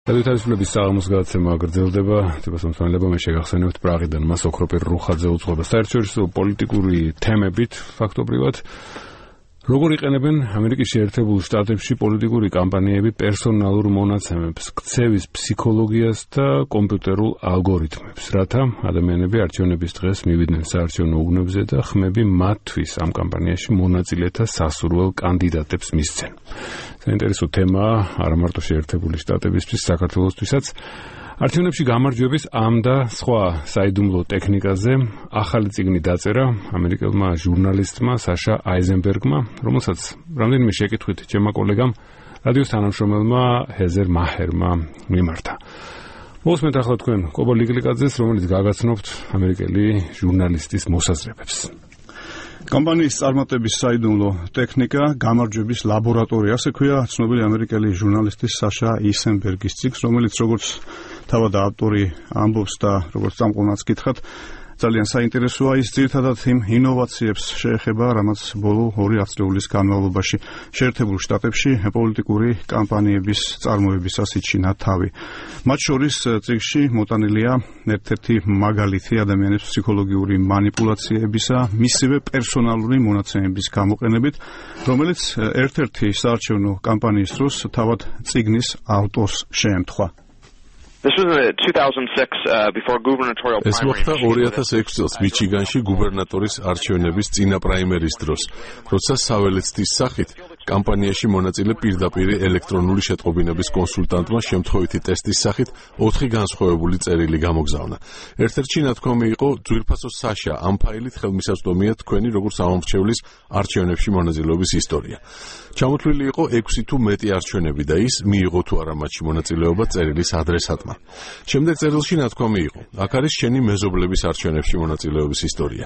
თავისუფლების საღამოს გადაცემა გრძელდება. თვითმსმენელობა მე შეგახსენებთ პრაღიდან მას ოქროპირ რუხაძე უძღვება საერთაშორისო პოლიტიკური თემებით ფაქტობრივად. როგორ იყენებენ ამერიკის შეერთებულ შტატებში პოლიტიკური კამპანიები პერსონალურ მონაცემებს, ქცევის ფსიქოლოგიას და კომპიუტერულ ალგორითმებს, რათა ადამიანები არჩევნების დღეს მივიდნენ საარჩევნო უბნებზე და ხმები მათთვის ამ კამპანიაში მონაწილეთა სასურველ კანდიდატებს მისცენ. საინტერესო თემაა არა მარტო შეერთებული შტატებისთვის, საქართველოსთვისაც. არჩევნებში გამარჯვების ამ და სხვა საიდუმლო ტექნიკაზე ახალი წიგნი დაწერა ამერიკელმა ჟურნალისტმა საშა აიზენბერგმა, რომელსაც რამდენიმე შეკითხვით ჩემმა კოლეგამ რადიოს თანამშრომელმა ჰეზერ მაჰერმა მიმართა. მოვსმენთ ახლა თქვენ კობო ლიგლიკაძეს, რომელიც გაგაცნობთ ამერიკელი ჟურნალისტის მოსაზრებებს. კამპანიის წარმატების საიდუმლო ტექნიკა, გამარჯვების ლაბორატორია, ასე ქვია ცნობილი ამერიკელი ჟურნალისტის საშა აიზენბერგის წიგნს, რომელიც როგორც თავად ავტორი ამბობს და როგორც წამყვანაც გითხრათ, ძალიან საინტერესოა. ის ძირითადად იმ ინოვაციებს შეეხება, რამაც ბოლო 2 ათწლეულის განმავლობაში შეერთებულ შტატებში პოლიტიკური კამპანიების წარმოებისას იჩინა თავი. მათ შორის წიგნში მოტანილია ერთ-ერთი მაგალითი ადამიანების ფსიქოლოგიური манипуляციებისა, მისივე პერსონალური მონაცემების გამოყენებით, რომელიც ერთ-ერთი საარჩევნო კამპანიის დროს თავად წიგნის ავტორს შეემთხვა. This was in 2006 before gubernatorial primary. ეს მოხდა 2006 წელს მიჩიგანში გუბერნატორის არჩევნების წინა პრაიმერის დროს, როცა საველეცდის სახით კამპანიაში მონაწილე პირდაპირ ელექტრონული შეტყობინების კონსულტანტმა შემთხვევითი ტესტის სახით 4 განსხვავებული წერილი გამოგზავნა. ერთ-ერთი ნათქვამი იყო ძვირფასო საშა, ამ ფაილით ხელმისაწვდომია თქვენი როგორც ამომრჩევლის არჩევნებში მონაწილეობის ისტორია. ჩამოთვლილი იყო 6 თუ მეტი არჩევნები და ის მიიღო თუ არა მათში მონაწილეობა წერილის ადრესატმა. შემდეგ წერილში ნათქვამი იყო: აქ არის შენი მეზობლების არჩევნებში მონაწილეობის ისტორია.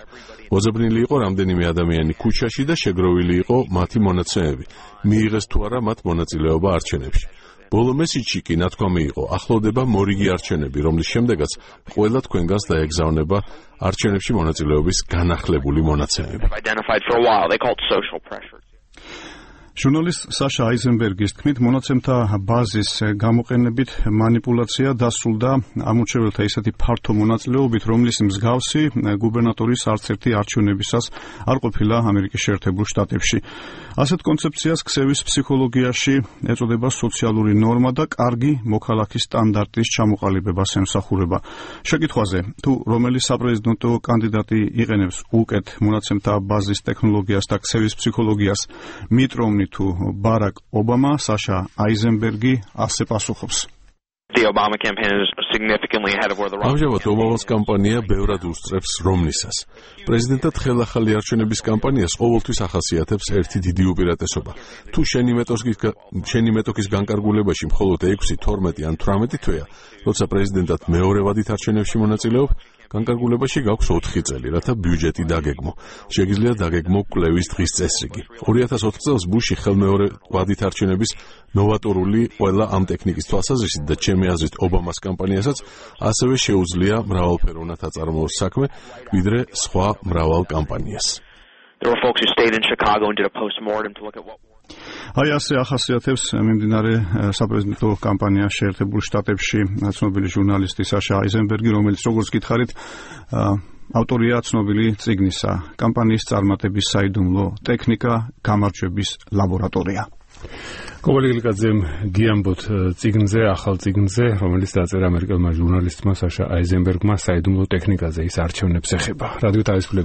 მოძებნილი იყო რამდენიმე ადამიანი ქუჩაში და შეგროვილი იყო მათი მონაცემები. მიიღეს თუ არა მათ მონაწილეობა არჩევნებში. ბოლო მესიჯში კი ნათქვამი იყო: ახლოვდება მორიგი არჩევნები, რომლის შემდეგაც ყველა თქვენგანს დაეგზავნება არჩევნებში მონაწილეობის განახლებული მონაცემები. ჟურნალისტ საშა აიზენბერგის თქმით, მონაცემთა ბაზის გამოყენებით манипуляცია დასრულდა ამორჩეველთა ისეთი ფართო მონაწილეობით, რომლის მსგავსი გუბერნატორის არც ერთი არჩევნებისას არ ყოფილა ამერიკის შეერთებულ შტატებში. ასეთ კონცეფციას ქცევის ფსიქოლოგიაში ეწოდება სოციალური ნორმა და კარგი მოქალაქის სტანდარტის ჩამოყალიბებას ემსახურება. შეკითხვაზე, თუ რომელი საპრეზიდენტო კანდიდატი იყენებს უკეთ მონაცემთა ბაზის ტექნოლოგიას და ქცევის ფსიქოლოგიას, მით რომნი თუ ბარაკ ობამა, საშა აიზენბერგი ასე პასუხობს. ამჟამად ობამას კამპანია ბევრად უსწრებს რომნისას. პრეზიდენტად ხელახალი არჩევნების კამპანიას ყოველთვის ახასიათებს ერთი დიდი უპირატესობა. თუ შენი მეტოქის განკარგულებაში მხოლოდ 6, 12 ან 18 თვეა, როცა პრეზიდენტად მეორე ვადით არჩევნებში მონაწილეობ, განკარგულებაში გაქვს 4 წელი, რათა ბიუჯეტი დაგეგმო. შეგიძლია დაგეგმო კვლევის დღის წესრიგი. 2004 წელს ბუში ხელმეორე ვადით არჩევნების ნოვატორული ყველა ამ ტექნიკის თვალსაზრისით და ჩემი აზრით ობამას კამპანიასაც ასევე შეუძლია მრავალფეროვნად აწარმოოს საქმე, ვიდრე სხვა მრავალ კამპანიას. აი ასე ახასიათებს მიმდინარე საპრეზიდენტო კამპანია შეერთებულ შტატებში ცნობილი ჟურნალისტი საშა აიზენბერგი, რომელიც როგორც გითხარით, ავტორია ცნობილი წიგნისა კამპანიის წარმატების საიდუმლო ტექნიკა, გამარჯვების ლაბორატორია. კობო ლიგლიკაძემ გიამბოთ წიგნზე, ახალ წიგნზე, რომელიც დაწერა ამერიკელმა ჟურნალისტმა საშა აიზენბერგმა საიდუმლო ტექნიკაზე, ის არჩევნებს ეხება. რადიო თავისუფლების